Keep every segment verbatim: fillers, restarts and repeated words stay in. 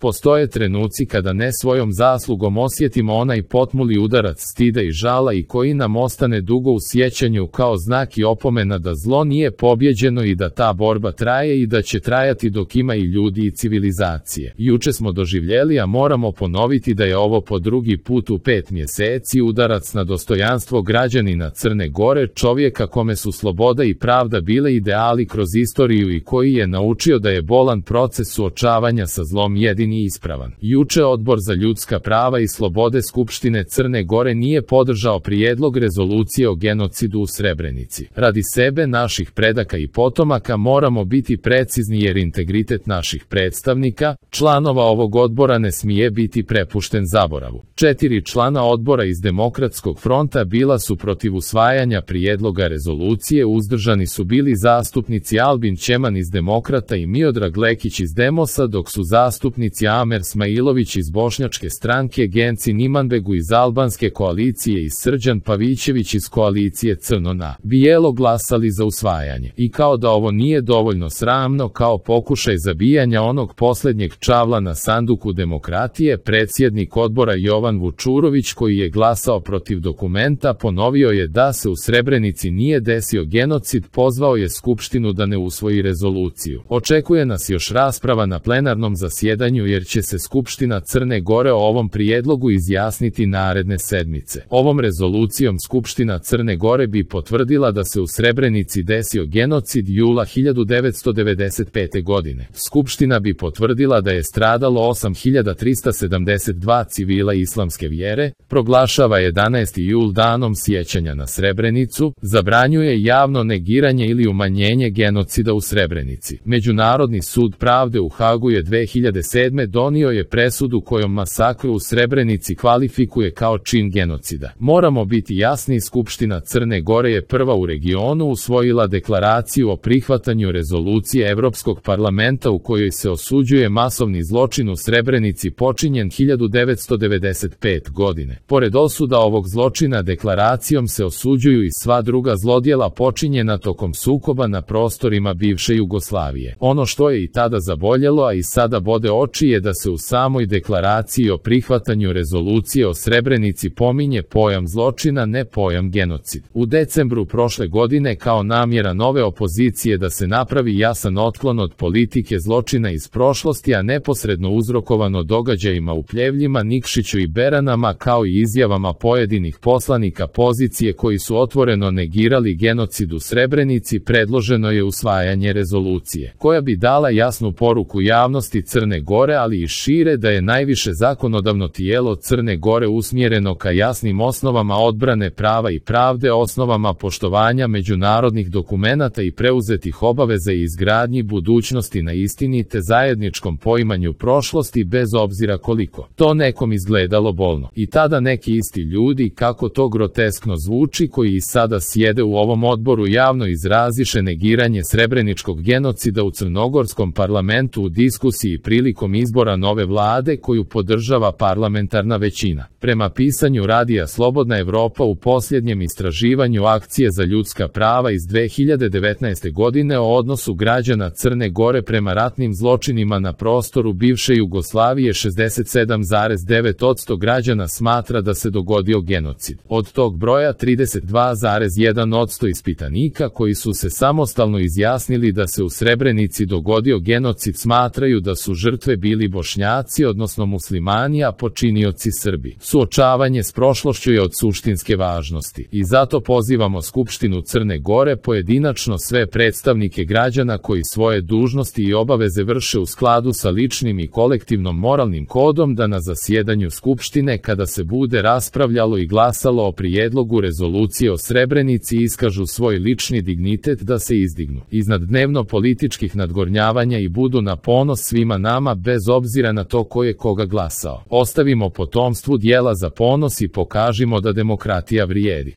Postoje trenuci kada ne svojom zaslugom osjetimo onaj potmuli udarac stida i žala i koji nam ostane dugo u sjećanju kao znak i opomena da zlo nije pobjeđeno i da ta borba traje i da će trajati dok ima i ljudi i civilizacije. Juče smo doživjeli, a moramo ponoviti da je ovo po drugi put u pet mjeseci udarac na dostojanstvo građanina Crne Gore, čovjeka kome su sloboda i pravda bile ideali kroz istoriju i koji je naučio da je bolan proces suočavanja sa zlom jedini ispravan. Juče Odbor za ljudska prava i slobode Skupštine Crne Gore nije podržao prijedlog rezolucije o genocidu u Srebrenici. Radi sebe, naših predaka i potomaka moramo biti precizni jer integritet naših predstavnika, članova ovog odbora ne smije biti prepušten zaboravu. Četiri člana odbora iz Demokratskog fronta bila su protiv usvajanja prijedloga rezolucije, uzdržani su bili zastupnici Albin Ćeman iz Demokrata i Miodrag Lekić iz Demosa, dok su zastupnici Amer Smailović iz Bošnjačke stranke, Genci Nimanbegu iz Albanske koalicije i Srđan Pavićević iz koalicije Crno na bijelo glasali za usvajanje. I kao da ovo nije dovoljno sramno, kao pokušaj zabijanja onog posljednjeg čavla na sanduku demokratije, predsjednik odbora Jovan Vučurović, koji je glasao protiv dokumenta, ponovio je da se u Srebrenici nije desio genocid, pozvao je Skupštinu da ne usvoji rezoluciju. Očekuje nas još rasprava na plenarnom zasjedanju jer će se Skupština Crne Gore o ovom prijedlogu izjasniti naredne sedmice. Ovom rezolucijom Skupština Crne Gore bi potvrdila da se u Srebrenici desio genocid jula hiljadu devetsto devedeset pete. godine. Skupština bi potvrdila da je stradalo osam hiljada trista sedamdeset dva civila islamske vjere, proglašava jedanaesti jul danom sjećanja na Srebrenicu, zabranjuje javno negiranje ili umanjenje genocida u Srebrenici. Međunarodni sud pravde u Hagu je dve hiljade sedme. donio je presudu kojom masakru u Srebrenici kvalifikuje kao čin genocida. Moramo biti jasni, Skupština Crne Gore je prva u regionu usvojila deklaraciju o prihvatanju rezolucije Europskog parlamenta u kojoj se osuđuje masovni zločin u Srebrenici počinjen hiljadu devetsto devedeset pete. godine. Pored osuda ovog zločina, deklaracijom se osuđuju i sva druga zlodjela počinjena tokom sukoba na prostorima bivše Jugoslavije. Ono što je i tada zaboljelo, a i sada bode oči, je da se u samoj deklaraciji o prihvatanju rezolucije o Srebrenici pominje pojam zločina, ne pojam genocid. U decembru prošle godine, kao namjera nove opozicije da se napravi jasan otklon od politike zločina iz prošlosti, a neposredno uzrokovano događajima u Pljevljima, Nikšiću i Beranama, kao i izjavama pojedinih poslanika pozicije koji su otvoreno negirali genocid u Srebrenici, predloženo je usvajanje rezolucije, koja bi dala jasnu poruku javnosti Crne Gore, ali i šire, da je najviše zakonodavno tijelo Crne Gore usmjereno ka jasnim osnovama odbrane prava i pravde, osnovama poštovanja međunarodnih dokumenata i preuzetih obaveza i izgradnji budućnosti na istini te zajedničkom poimanju prošlosti, bez obzira koliko to nekom izgledalo bolno. I tada neki isti ljudi, kako to groteskno zvuči, koji i sada sjede u ovom odboru, javno izraziše negiranje srebreničkog genocida u crnogorskom parlamentu u diskusiji prilikom izbora nove vlade koju podržava parlamentarna većina. Prema pisanju radija Slobodna Evropa u posljednjem istraživanju Akcije za ljudska prava iz dve hiljade devetnaeste. godine o odnosu građana Crne Gore prema ratnim zločinima na prostoru bivše Jugoslavije, šezdeset sedam zarez devet posto građana smatra da se dogodio genocid. Od tog broja trideset dva zarez jedan posto ispitanika koji su se samostalno izjasnili da se u Srebrenici dogodio genocid smatraju da su žrtve bili Bošnjaci, odnosno muslimani, a počinioci Srbi. Suočavanje s prošlošću je od suštinske važnosti i zato pozivamo Skupštinu Crne Gore, pojedinačno sve predstavnike građana koji svoje dužnosti i obaveze vrše u skladu sa ličnim i kolektivnom moralnim kodom, da na zasjedanju Skupštine, kada se bude raspravljalo i glasalo o prijedlogu rezolucije o Srebrenici, iskažu svoj lični dignitet, da se izdignu iznad dnevno političkih nadgornjavanja i budu na ponos svima nama, bez obzira na to ko je koga glasao. Ostavimo potomstvu djela za ponos i pokažimo da demokratija vrijedi.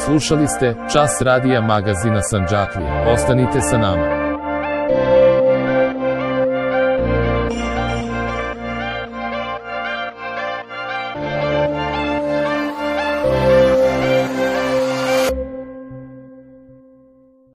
Slušali ste Čas radija magazina Sandžaklija. Ostanite sa nama.